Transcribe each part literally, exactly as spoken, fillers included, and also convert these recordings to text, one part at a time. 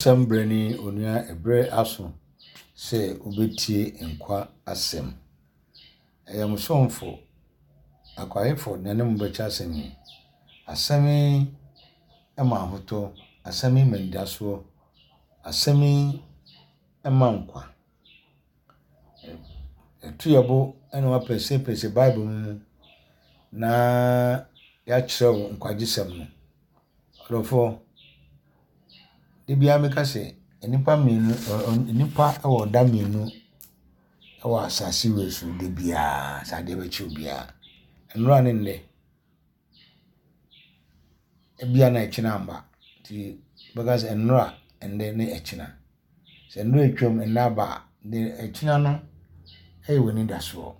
Asɛm berɛ ni onua ɛberɛ aso sɛ wobɛtie nkwa asɛm. Ɛyɛ mo somfo Akwaefo na ɛne mo bɛkyɛ asɛm yi. Asɛm yi ma ahotɔ, asɛm yi ma anidasoɔ, asɛm yi ma nkwa. Yɛto yɛn bo na wɔapɛsɛpɛsɛ Bible mu na yɛakyerɛ wo nkwagyesɛm no. Ɔdɔfoɔ, da biara meka sɛ nnipa mmienu nnipa wɔ da mmienu wɔ asase wei so da biara sɛ adeɛ bɛkye obiara. Nnora ne nnɛ. Ebia na ɛkyena amba nti bɛka sɛ nnora, ɛnnɛ ne ɛkyena. Sɛ nnora atwam nnɛ aba a, deɛ ɛkyena no yɛ w'anidasoɔ.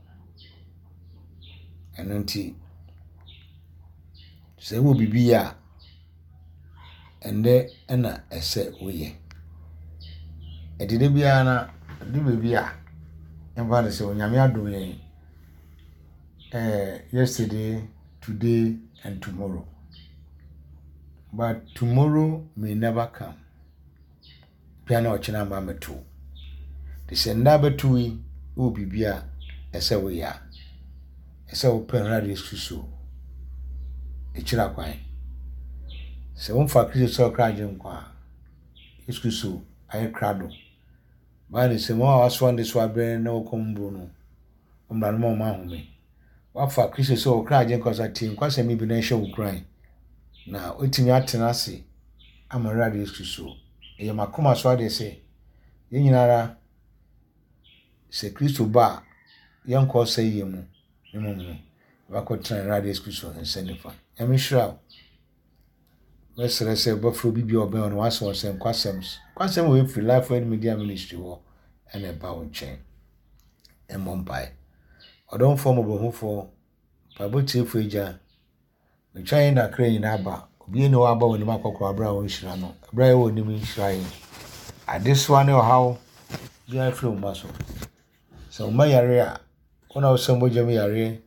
Ɛno nti, sɛ wowɔ biribi yɛ a, ɛnnɛ na ɛsɛ woyɛ. Ɛnti da biara no, ɛdu baabi a, yɛmfa no sɛ Onyame adom yɛn eh, yesterday, today and tomorrow. But tomorrow may never come. Bia na ɔkyena amba mmɛto wo. Nti sɛ nnɛ abɛto yi, wowɔ biribi a ɛsɛ woyɛ a, ɛsɛ wopɛ Awurade Yesu Kristo akyiri kwan. Sɛ womfa Kristo sɛ ɔkra agyenkwa a, Yesu Kristo ayɛ krado. Bible sɛ wɔn a wɔasoa nnesoa abrɛ na wɔkɔm bu no, ɔmmra no ma wɔn ahome. Wafa Kristo sɛ ɔkra agyenkwa so atie nkwasɛm yi bi na ɛhyɛ wo nkuran. Na woatumi atena ase ama Awurade Yesu Kristo. Ɛyɛ m'akoma so adeɛ sɛ yɛn nyinara sɛ Kristo ba a, yɛnkɔ ɔsɛeɛ mu na mmom no, yɛbɛkɔtena Awurade Yesu Kristo nsa nifa. Nyame nhyira wo. Mɛsrɛ sɛ wobɛfrɛ obi bi a ɔbɛn wo na wasɛ wɔn sɛ nkwasɛm nkwasɛm wɔ firi Life Word Media Ministry hɔ ɛna ɛba wo nkyɛn. Ɛmmɔ mpae. Ɔdomfoɔ mmɔborɔhufoɔ, mpaebɔ tiefoɔ agya, metwa yɛn nakra nyinaa aba. Obi ni hɔ aba w'anim akɔkɔ abere a wɔnhyira no. Abere a yɛwɔ anim nhyira yɛn. Adesoa ne ɔhaw biara firi wo mma so. Sɛ wo mma yare a, wo na wosɛ mogya mu yareɛ,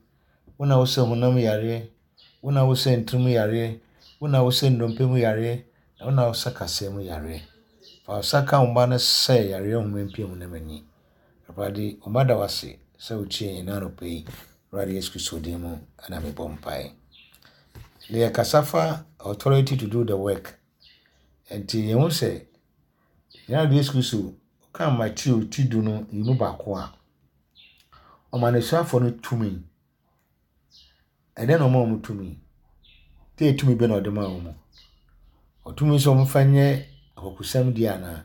wo na wosɛ honam yareɛ, wo na wosɛ ntirim yareɛ, wo na wosɛ nnompe mu yareɛ, na wo na wosɛ kaseɛ mu yareɛ. Fa wo nsa ka wo mma no sɛ yareɛ nhoma mpie honam ani. Awurade, wo mma da wo ase sɛ wotie yɛn anɔpa yi. Awurade Yesu Kristo din mu ɛna mebɔ mpaeɛ. Na yɛkasa fa authority to do the work. Nti yɛhu sɛ yɛn Awurade Yesu Kristo ɔka Mateo ti du no yi mu baako a, ɔma n'asuafoɔ no tumi. Ɛdɛn na ɔma wɔn tumi? Tee tumi bɛ na ɔde maa wɔn. Ɔtumi sɛ wɔmfa nyɛ akɔkosɛm deɛ anaa?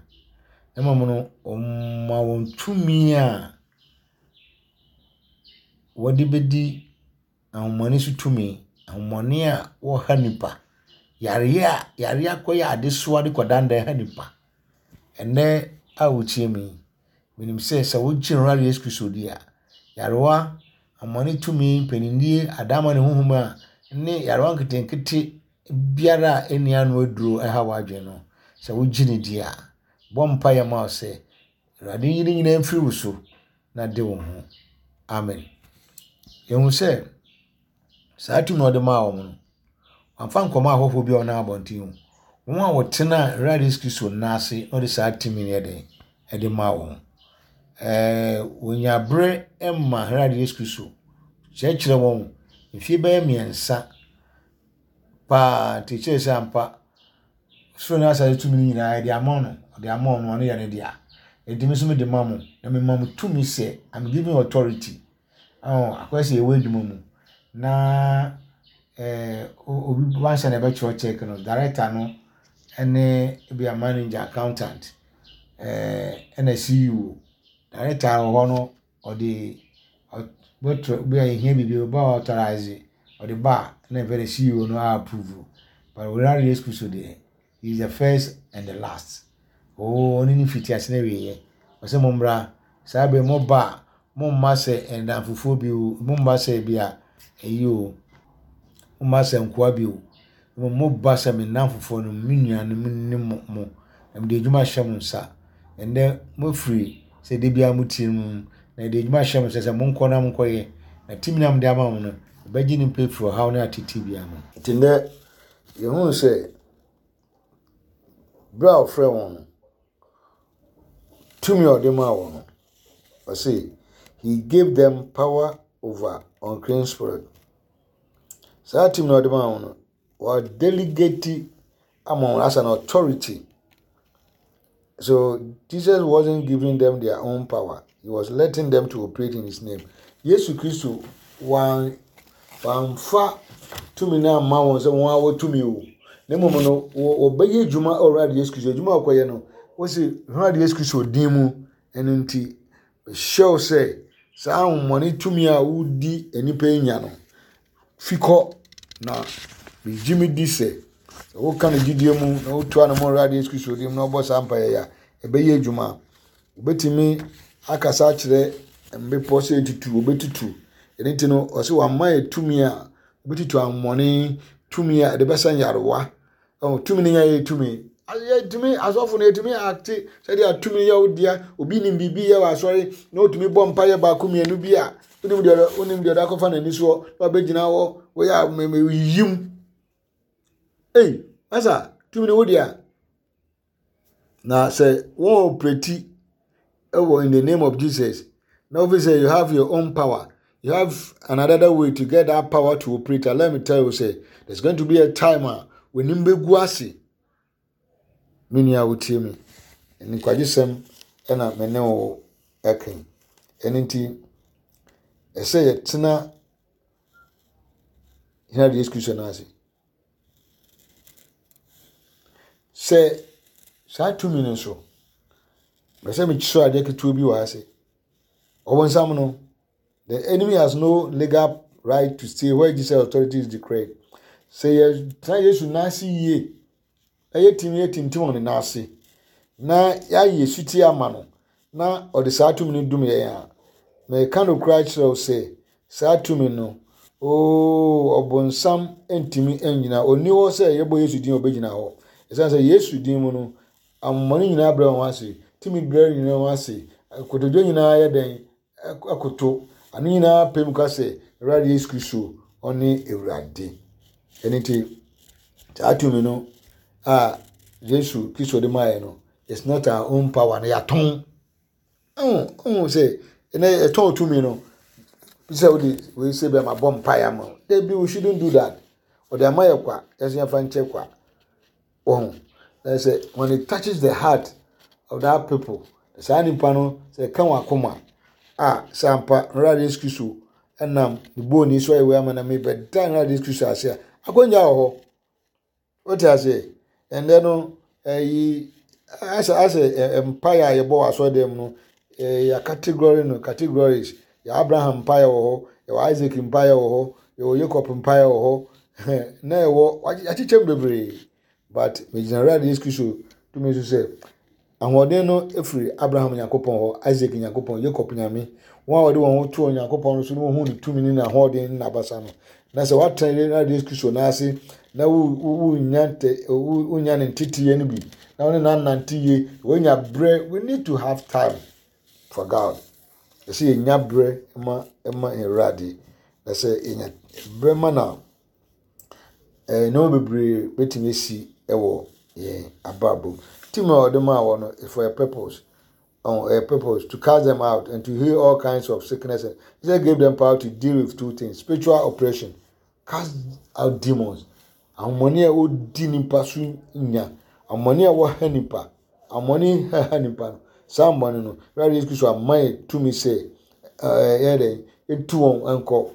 Na mmom no, ɔma wɔn tumi a wɔde bɛdi ahonhommɔne so tumi. Ahonhommɔne a wɔha nipa. Yareɛ a yareɛ akɔyɛ adesoa de kɔdandan ha nipa. Ɛnnɛ a wotie me yi, menim sɛ sɛ wogye Awurade Yesu Kristo di a, yarewa, ahonhommɔne tumi, mpaninnie, adaemone honhom a ne yarewa nketenkete biara a ɛnni ano aduro ɛha w'adwene no, sɛ wogye ne di a, bɔ mpaeɛ ma wo sɛ Awurade nyi ne nyinaa mfiri wo so na de wo ho. Amen. Yɛhu sɛ saa tumi a ɔde maa wɔn no, wamfa nkɔmɔ ahɔhoɔ bi a wɔnam abɔnten o. Wɔn a wɔtena Awurade Yesu Kristo nan ase na ɔde saa tumi no yɛ den ɛde maa wɔn. Ɛɛ wɔnya berɛ ma Awurade Yesu Kristo kyerɛkyerɛ wɔn mfie bɛyɛ mmiɛnsa paa nti kyerɛ sɛ ampa soro ne asase tumi no nyinaa yɛde ama no ɔde ama ɔno ɔno yɛ ne dea. Enti me nso mede ma mo na mema mo tumi sɛ I'm giving authority. Ɔn akɔyɛ sɛ yɛwɔ adwuma mu na ɛɛ obi wanhyɛ na ɛbɛtwerɛ check no director no ɛne ebi a manager accountant ɛɛ ɛna C E O. Director wɔ hɔ no ɔde bɛtwerɛ bi a ehia biribi ɔba authorize ɔde ba a na ɛfɛ de C E O no approve. But Awurade Yesu Kristo deɛ, he is the first and the last. Oo ɔne ne fiti ase na wieɛ. Ɔsɛ mo mmra saa bere mo ba a mo mma sɛ ɛnamfofoɔ bi o, mo mma sɛ bi a ɛyi o, mo mma sɛ nkoa bi o. Mo ba sɛ me nnamfofoɔ no, me nuanom ne mo mo na mede adwuma ahyɛ mo nsa. Ɛnnɛ mofiri sɛ da biara motie mu na yɛde adwuma ahyɛ mo nsa sɛ monkɔ na monkɔyɛ. Na tumi na mede ama mo no, ɛbɛgye nnipa afiri ɔhaw ne atete biara mu. Nti nnɛ yɛhuu sɛ berɛ a ɔfrɛ wɔn no Tumi a ɔde maa wɔn no, ɔse he gave them power over unclean spirit. Saa tumi na ɔde maa wɔn no, wɔ delegate ama wɔn as an authority. So Jesus wasn't giving them their own power. He was letting them to operate in his name. Yesu Kristo wan wamfa tumi no amma wɔn sɛ wɔn a wɔtumi o. Na mmom no, wɔbɛyɛ adwuma a Awurade Yesu Kristo adwuma a wɔkɔyɛ no, wɔsi Awurade Yesu Kristo din mu. Ɛno nti, hyɛw sɛ saa ahomɔne tumi a wodi nnipa yi nya no, fi kɔ na megye me di sɛ sɛ woka no gyidie mu na wotu anamɔ Awurade Yesu Kristo din mu na wɔbɔ saa mpaeɛ yi a, ɛbɛyɛ adwuma. Wobɛtumi akasa akyerɛ mbepɔ sɛ etutu, obetutu. Ɛno nti no, ɔsɛ wama yɛ tumi a wobɛtutu ahomɔne, tumi a ɛde bɛsa nyarewa. Ɔho tumi no nyɛ yɛ tumi. Yɛtumi asɔfo no yɛtumi ate sɛdeɛ tumi yɛ wo dea. Obi nim biribi yɛ wɔ asɔre na otumi bɔ mpaeɛ baako mmienu bi a wonim deɛ wonim deɛ ɔde akɔfa n'ani soɔ na wabɛgyina hɔ wɔyɛ a mɛmɛ yim. Ei, masa tumi no wo dea. Na sɛ wɔn operate ɛwɔ in the name of Jesus na ofi sɛ you have your own power, you have another way to get that power to operate. And let me tell you say there's going to be a time a w'anim bɛgu ase. Me nua a wotie me, nkwagyesɛm ɛna me ne wo ɛka. Ɛno nti ɛsɛ yɛtena Awurade Yesu Kristo no ase. Sɛ saa tumi no nso, bɛ sɛ mekyerɛ adeɛ ketewa bi wɔ ase. Ɔbɔnsam no, the enemy has no legal right to stay where Jesus authority is declared. Sɛ yɛtena Yesu n'ase yie, na yɛtumi yɛtintim wɔ ne n'ase, na yɛayɛ sutie ama no, na ɔde saa tumi no dum yɛn a, mɛka no koraa kyerɛ wo sɛ saa tumi no, ooo, ɔbɔnsam ntumi nnyina. Onni hɔ sɛ yɛbɔ Yesu din a ɔbɛgyina hɔ. Ɛsiane sɛ Yesu din mu no, ahomɔne nyinaa brɛ wɔn ase, tumi brɛ nyinaa wɔn ase, kotodwe nyinaa yɛ dɛn akoto, ano nyinaa pɛ mu ka sɛ Awurade Yesu Kristo ɔne Awurade. Ɛno nti saa tumi no a Yesu Kristo de maa yɛn no, it's not our own power na yɛatɔn. Ɔn ɔn sɛ ɛnɛ yɛtɔn tumi no sɛ wode wei sɛ bɛma bɔ mpaeɛ ama wo. Dabi, we shouldn't do that. Ɔde ama yɛ kwa, yɛnso yɛmfa nkyɛ kwa. Wɔn na sɛ when it touches the heart of that people, saa nipa no sɛ ɛka wɔn akoma a, sɛ ampa Awurade Yesu Kristo ɛnam ne booni so ayɛ wei ama na mebɛda Awurade Yesu Kristo ase a, akonnwa wɔ hɔ. Wote ase? Ɛndɛ no ɛyi asɛ asɛ mpaeɛ a yɛbɔ wɔ asɔredan mu no, ɛyɛ yɛ category no categories. Yɛ Abraham mpaeɛ wɔ hɔ, yɛwɔ Isaac mpaeɛ wɔ hɔ, yɛwɔ Jacob mpaeɛ wɔ hɔ, na yɛwɔ akyekyɛm bebree. But megyina Awurade Yesu Kristo tumi so sɛ ahoɔden no efiri Abraham Nyankopɔn hɔ, Isaac Nyankopɔn, Jacob Nyame, wɔn a wɔde wɔn ho to Onyankopɔn no so na wɔhu ne tumi ne n'ahoɔden ne n'abasa no. Na sɛ woatena Awurade Yesu Kristo n'ase na wonya nte wonya ne nteteeɛ no bi na wɔne n'anante yie, wonya berɛ. We need to have time for God. Ɛsɛ yɛnya berɛ ma ma Awurade. Na sɛ yɛnya berɛ ma na ɛɛ nneɛma bebree bɛtumi asi ɛwɔ yɛn abrabɔ mu. Tumi a ɔde maa wɔn no is for a purpose. Oh, a purpose to cast them out and to heal all kinds of sickness. He said gave them power to deal with two things: spiritual oppression, cast out demons. Ahomɔne a ɔdi nipa so nya, ahomɔne a wɔha nipa, ahomɔne haha nipa no, saa ahomɔne no, Awurade Yesu Kristo ama yɛ tumi sɛ ɛɛ yɛ dɛ etu wɔn nkɔ.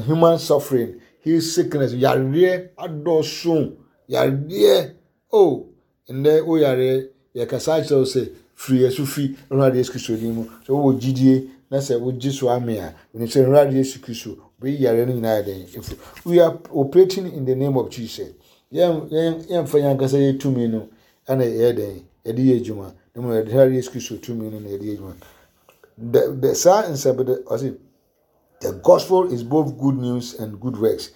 Human suffering, heal sickness, yareɛ adɔso, yareɛ oh ndɛ wo yareɛ yɛkasa akyerɛ wo sɛ firi yɛ so fi Awurade Yesu Kristo din mu. Sɛ wowɔ gyidie na sɛ wogye so ame a, menim sɛ Awurade Yesu Kristo bɛyi yareɛ no nyinaa yɛ dɛn efiri. We are operating in the name of Jesus. Yɛn yɛn yɛmfa yɛn ankasa yɛ tumi no ɛna yɛyɛ dɛn yɛde yɛ adwuma. Na mmom yɛde Awurade Yesu Kristo tumi no na yɛde yɛ adwuma. The the saa nsɛm de ɔsi the gospel is both good news and good works.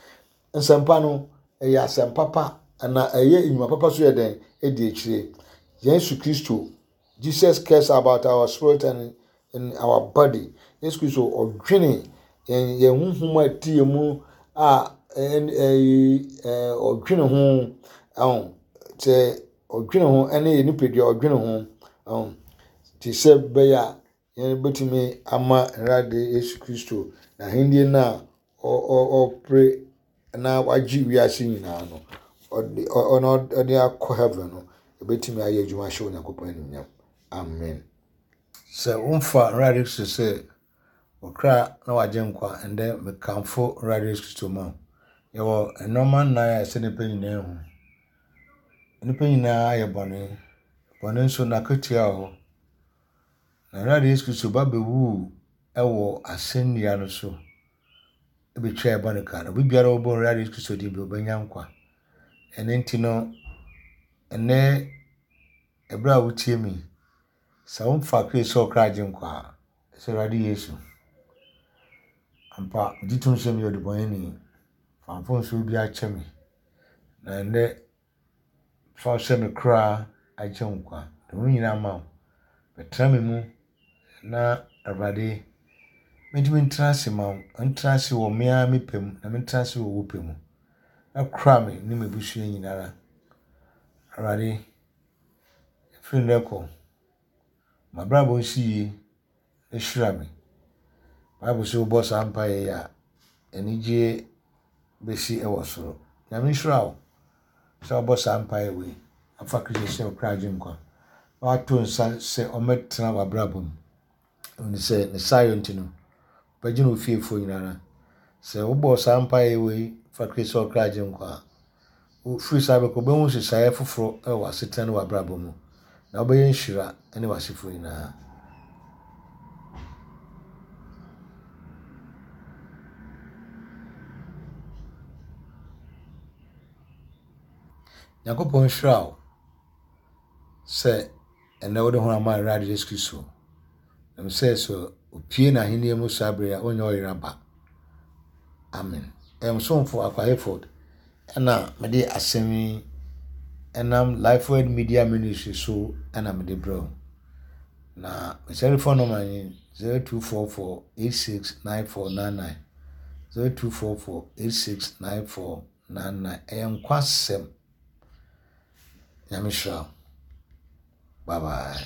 Nsɛmpa no ɛyɛ asɛm papa na ɛyɛ nnwuma papa so yɛ dɛn ɛdi akyire. Yesu Kristo, Jesus cares about our spirit and in our body. Yesu Kristo ɔdwene yɛn yɛn honhom a ɛte yɛn mu a ɛn ɛyi ɛɛ ɔdwene ho ɛho sɛ ɔdwene ho ɛne yɛn nipadua ɔdwene ho ɛho. Nti sɛ bɛyɛ a yɛbɛtumi ama Awurade Yesu Kristo n'ahenni no a ɔpere na wagye wiase nyinaa no, ɔde ɔde akɔ heaven no, ebɛtumi ayɛ adwuma ahyɛ Onyankopɔn animuonyam. Amen. Sɛ womfa Awurade Kristo sɛ ɔkra na wagye nkwa, ɛndɛ mekamfo Awurade Yesu Kristo ma wo. Yɛwɔ nneɛma nnan a ɛsɛ nnipa nyinaa hu. Nnipa nyinaa ayɛ bɔne. Bɔne nso n'akatua wɔ hɔ. Na Awurade Yesu Kristo ba bɛwuu wɔ asɛnnua no so bɛtwaa yɛn bɔne ka. Na obi biara a ɔbɔ Awurade Yesu Kristo din bi ɔbɛnya nkwa. Ɛno nti no, ɛnɛ ɛberɛ a wotie me, sɛ womfa Kristo sɛ ɔkra agye nkwa a, sɛ Awurade Yesu, ampa megye tom sɛ meyɛ ɔdebɔneyɛni. Fa mfomsoɔ biara kyɛ me. Na ɛnnɛ fa wo sɛ me kra agye nkwa. De wo nyinaa ma wo. Bɛtena me mu na Awurade mentumi ntena ase ma wo. Ntena ase wɔ me ara me pɛ mu na mentena ase wɔ wo pɛ mu. Na kora me ne m'abusua nyinara. Awurade, ɛfiri nnɛ kɔ, m'abrabɔ nsi yie na hyira me. Bible sɛ wobɔ saa mpaeɛ yi a, anigyeɛ bɛsi wɔ soro. Nyame nhyira wo sɛ wobɔ saa mpaeɛ wei afa Kristo sɛ ɔkra agye nkwa. Na wato nsa sɛ ɔmmɛtena w'abrabɔ mu. Ɛne sɛ ne saayɔ nti no, ɔbɛgye ne wo fiefoɔ nyinara. Sɛ wobɔ saa mpaeɛ wei fa Kristo sɛ ɔkra agye nkwa a, wofiri saa bɛkɔ wobɛhu nhyehyɛeɛ foforɔ wɔ w'asetena ne w'abrabɔ mu. Na wobɛyɛ nhyira ne w'asefoɔ nyinaa. Nyankopɔn nhyira wo sɛ ɛnnɛ wode ho ama Awurade Yesu Kristo. Nam sɛ sɛ opie n'ahenni mu saa bere a ɔnyɛ ɔyera ba. Amen. Ɛyɛ somfo Akwa Hayford ɛna mede asɛm yi ɛnam Lifeword Media Ministry so ɛna mede brɛ wo. Na me telephone number ni zero two four four eight six nine four nine nine zero two four four eight six nine four nine nine. Ɛyɛ nkwasɛm. Nyame hyira wo. Bye bye.